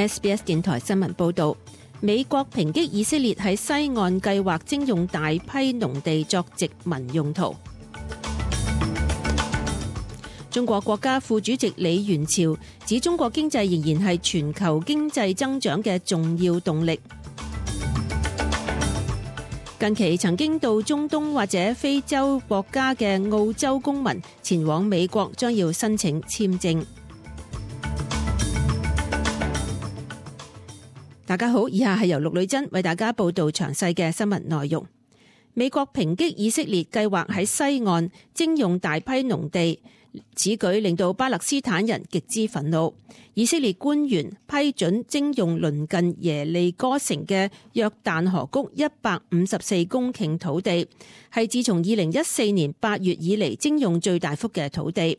SBS 電台新聞報導，美國抨擊以色列喺西岸計劃徵用大批農地作殖民用途。中國國家副主席李源潮指，中國經濟仍然係全球經濟增長嘅重要動力。近期曾經到中東或者非洲國家嘅澳洲公民前往美國，將要申請簽證。大家好，以下係由陸女珍為大家報道詳細嘅新聞內容。美國抨擊以色列計劃喺西岸徵用大批農地，此舉令到巴勒斯坦人極之憤怒。以色列官員批准徵用鄰近耶利哥城嘅約旦河谷154公頃土地，係自從2014年8月以嚟徵用最大幅嘅土地。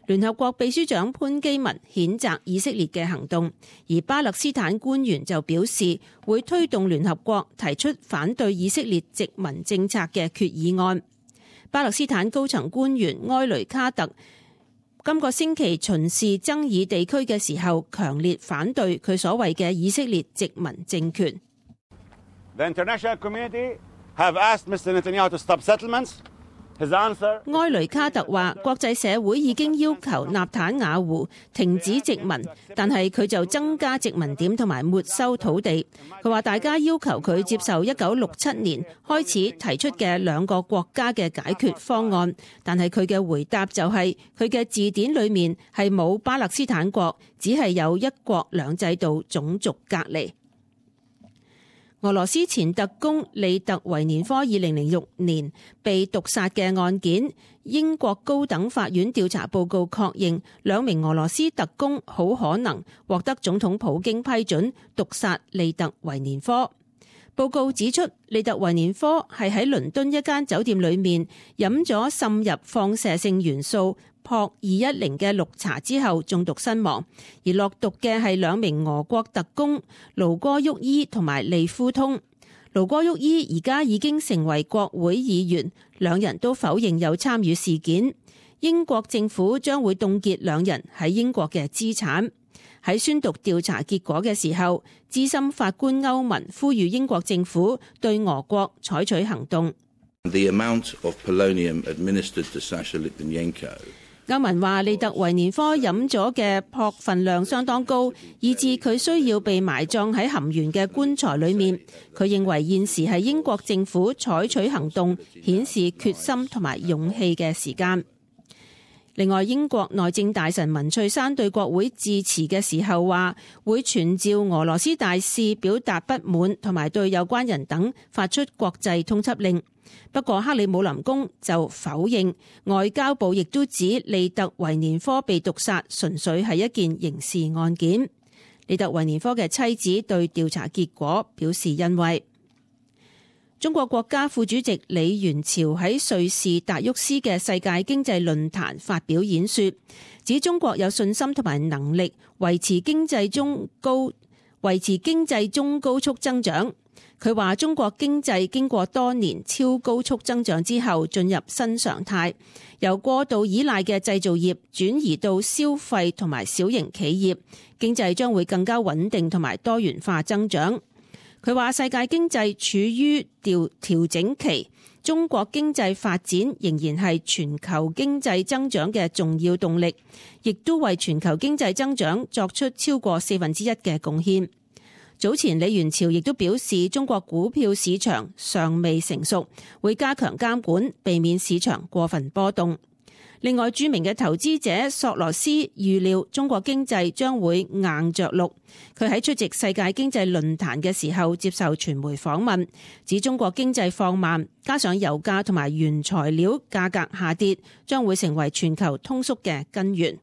聯合國秘書長潘基文譴責以色列嘅行動，而巴勒斯坦官員就表示會推動聯合國提出反對以色列殖民政策嘅決議案。巴勒斯坦高層官員埃雷卡特今個星期巡視爭議地區嘅時候，強烈反對佢所謂嘅以色列殖民政權。The international community have asked Mr. Netanyahu to stop settlements. 埃雷卡特話，國際社會已經要求納坦雅胡停止殖民，但係佢就增加殖民點同埋沒收土地。佢話大家要求佢接受1967年開始提出嘅兩個國家嘅解決方案，但係佢嘅回答就係佢嘅字典裏面係冇巴勒斯坦國，只係有一國兩制度種族隔離。俄羅斯前特工利特維年科2006年被毒殺嘅案件，英國高等法院調查報告確認兩名俄羅斯特工好可能獲得總統普京批准毒殺利特維年科。報告指出，利特維年科係喺倫敦一間酒店裏面飲咗滲入放射性元素撲210嘅綠茶之後中毒身亡，而落毒嘅係兩名俄國特工盧戈沃伊同埋利夫通。盧戈沃伊而家已經成為國會議員，兩人都否認有參與事件。英國政府將會凍結兩人喺英國嘅資產。喺宣讀調查結果嘅時候，資深法官歐文呼籲英國政府對俄國採取行動。The amount of polonium administered to Sasha Litvinenko。歐文話，利特維年科飲咗嘅砵份量相當高，以致佢需要被埋葬喺含鉛嘅棺材裏面。佢認為現時係英國政府採取行動、顯示決心同埋勇氣嘅時間。另外，英國內政大臣文翠珊對國會致辭嘅時候話，會傳召俄羅斯大使表達不滿，同埋對有關人等發出國際通緝令。不過克里姆林宮就否認，外交部亦都指利特維年科被毒殺純粹係一件刑事案件。利特維年科嘅妻子對調查結果表示欣慰。中國國家副主席李源潮喺瑞士達沃斯嘅世界經濟論壇發表演說，指中國有信心同埋能力維持經濟中高速增長。佢話中國經濟經過多年超高速增長之後進入新常態，由過度依賴嘅製造業轉移到消費同埋小型企業，經濟將會更加穩定同埋多元化增長。佢話世界經濟處於調整期，中國經濟發展仍然係全球經濟增長嘅重要動力，亦都為全球經濟增長作出超過1/4嘅貢獻。早前李源潮亦都表示，中國股票市場尚未成熟，會加強監管，避免市場過分波動。另外，著名嘅投資者索羅斯預料中國經濟將會硬着陸。佢喺出席世界經濟論壇嘅時候接受傳媒訪問，指中國經濟放慢，加上油價同埋原材料價格下跌，將會成為全球通縮嘅根源。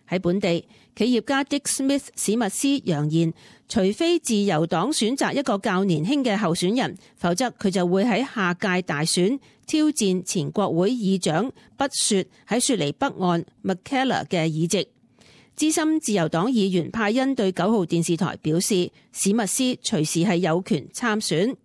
喺本地，企業家 Dick Smith 史密斯揚言，除非自由黨選擇一個較年輕嘅候選人，否則佢就會喺下屆大選挑戰前國會議長畢雪喺雪梨北岸 Mackellar 嘅議席。資深自由黨議員派恩對9號電視台表示，史密斯隨時係有權參選。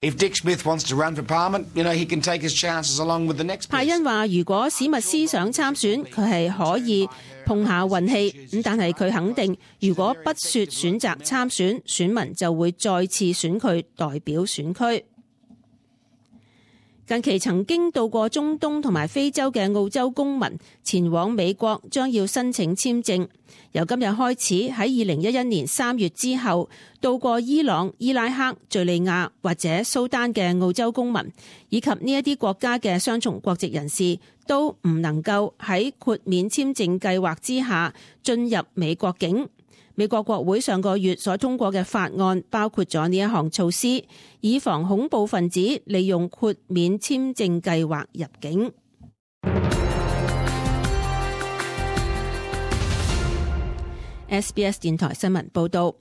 If Dick Smith wants to run for Parliament, he can take his chances along with the next person. 派恩話：如果史密斯想參選，佢係可以碰下運氣，咁但係佢肯定，如果不雪選擇參選，選民就會再次選佢代表選區。近期曾經到過中東同埋非洲嘅澳洲公民前往美國將要申請簽證。由今日開始，喺2011年3月之後，到過伊朗、伊拉克、敘利亞或者蘇丹嘅澳洲公民，以及呢一啲國家嘅雙重國籍人士，都唔能夠喺豁免簽證計劃之下進入美國境。美國國會上個月所通過嘅法案包括咗呢一項措施，以防恐怖分子利用豁免簽證計劃入境。SBS 電台新聞報道，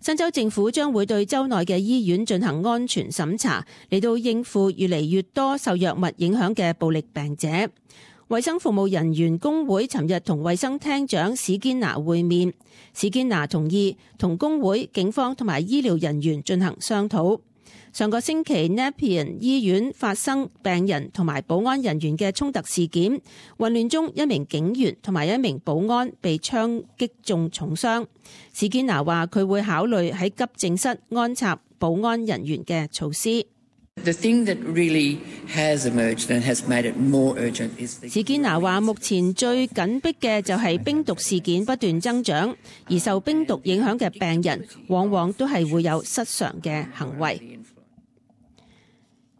新州政府將會對州內嘅醫院進行安全審查，嚟到應付越嚟越多受藥物影響嘅暴力病者。衛生服務人員工會尋日同衛生廳長史堅拿會面，史堅拿同意同工會、警方同埋醫療人員進行商討。上個星期 Nepean 醫院發生病人同埋保安人員嘅衝突事件，混亂中一名警員同埋一名保安被槍擊中重傷。史堅拿話佢會考慮喺急症室安插保安人員嘅措施。史堅拿話目前最緊迫嘅就係冰毒事件不斷增長，而受冰毒影響嘅病人往往都係會有失常嘅行為。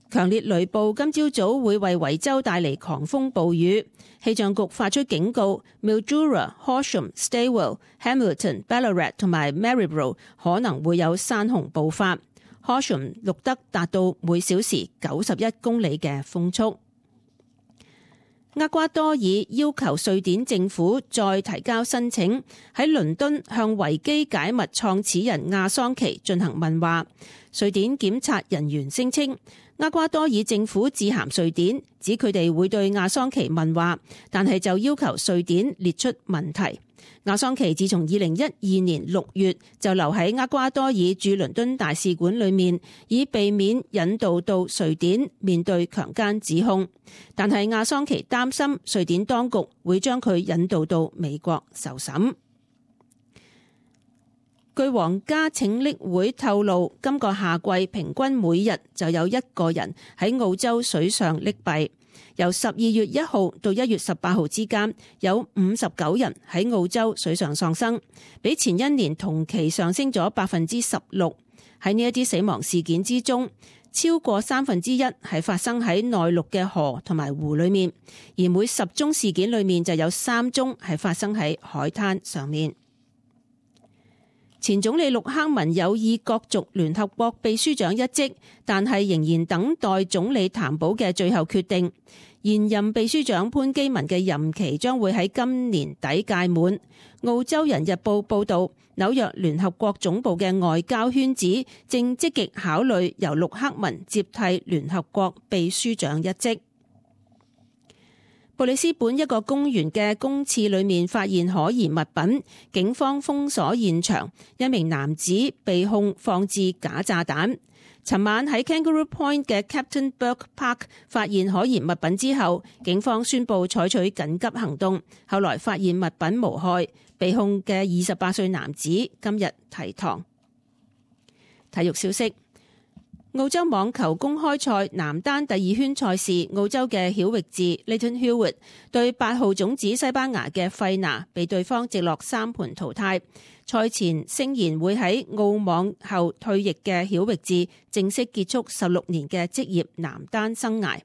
強烈雷暴今朝早會為維州帶嚟狂風暴雨，氣象局發出警告 ，Mildura、Horsham、Stawell、Hamilton、Ballarat 同埋 Maryborough 可能會有山洪暴發。Horsham 錄得達到每小時91公里嘅風速。厄瓜多爾要求瑞典政府再提交申請，喺倫敦向維基解密創始人亞桑奇進行問話。瑞典檢察人員聲稱，厄瓜多爾政府致函瑞典，指佢哋會對亞桑奇問話，但係就要求瑞典列出問題。亞桑奇自從2012年6月就留喺厄瓜多爾駐倫敦大使館裏面，以避免引渡到瑞典面對強姦指控。但係亞桑奇擔心瑞典當局會將佢引渡到美國受審。據皇家拯溺會透露，今個夏季平均每日就有1個人喺澳洲水上溺斃。由12月1號到1月18號之間，有59人喺澳洲水上喪生，比前一年同期上升咗16%。喺呢一啲死亡事件之中，超過1/3係發生喺內陸嘅河同埋湖裏面，而每10宗事件裏面就有3宗係發生喺海灘上面。前總理陸克文有意角逐聯合國秘書長一職，但係仍然等待總理譚寶嘅最後決定。現任秘書長潘基文嘅任期將會喺今年底屆滿。澳洲人日報報道，紐約聯合國總部嘅外交圈子正積極考慮由陸克文接替聯合國秘書長一職。布里斯本一個公園嘅公廁裏面發現可疑物品，警方封鎖現場，一名男子被控放置假炸彈。尋晚喺 Kangaroo Point 嘅 Captain Burke Park 發現可疑物品之後，警方宣布採取緊急行動，後來發現物品無害，被控嘅28歲男子今日提堂。體育消息。澳洲網球公開賽男單第2圈賽事，澳洲嘅曉域治 Leighton Hewitt 對8號種子西班牙嘅費拿，被對方直落3盤淘汰。賽前聲言會喺澳網後退役嘅曉域治正式結束16年嘅職業男單生涯。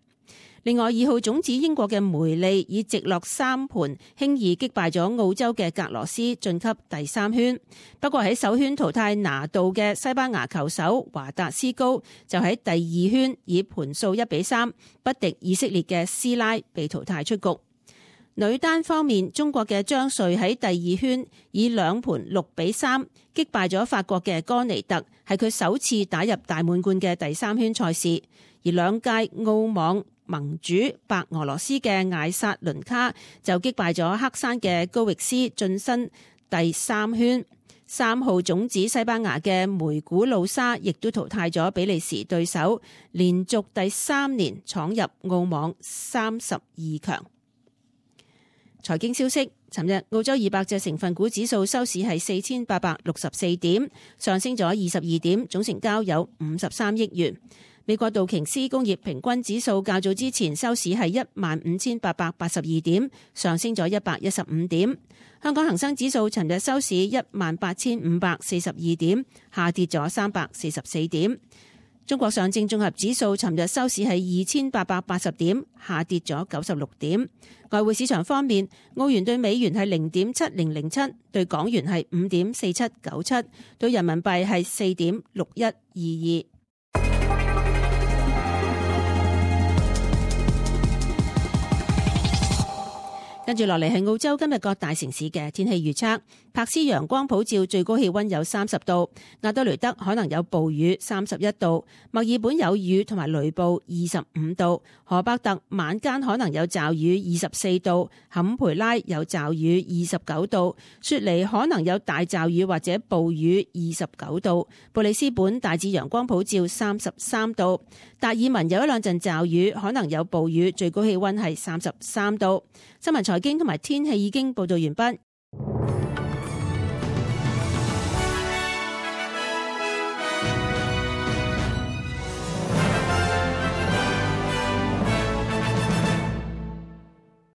另外2號種子英國嘅梅利以直落3盤輕易擊敗咗澳洲嘅格羅斯晉級第3圈。不過喺首圈淘汰拿度嘅西班牙球手華達斯高就喺第2圈以盤數1-3不敵以色列嘅斯拉，被淘汰出局。女單方面，中國嘅張瑞喺第2圈以2盤6-3擊敗咗法國嘅哥尼特，係佢首次打入大滿貫嘅第3圈賽事。而2屆澳網盟主白俄羅斯嘅艾薩倫卡就擊敗咗黑山嘅高域斯，晉身第3圈。3號種子西班牙嘅梅古魯沙亦都淘汰咗比利時對手，連續第3年闖入澳網32強。財經消息，尋日澳洲200隻成分股指數收市係4864點，上升咗22點，總成交有53億元。美國道瓊斯工業平均指數較早之前收市係15,882點，上升咗115點。香港恒生指數尋日收市18,542點，下跌咗344點。中國上證綜合指數尋日收市係2,880點，下跌咗96點。外匯市場方面，澳元對美元係0.7007，對港元係5.4797，對人民幣係4.6122。跟住落嚟係澳洲今日各大城市嘅天氣預測。柏斯陽光普照，最高氣溫有30度；亞德雷德可能有暴雨，31度；墨爾本有雨同埋雷暴，25度；荷伯特晚間可能有驟雨，24度；坎培拉有驟雨，29度；雪梨可能有大驟雨或者暴雨，29度；布里斯本大致陽光普照，33度；達爾文有一兩陣驟雨，可能有暴雨，最高氣溫係33度。新聞財經同埋天氣已經報道完畢，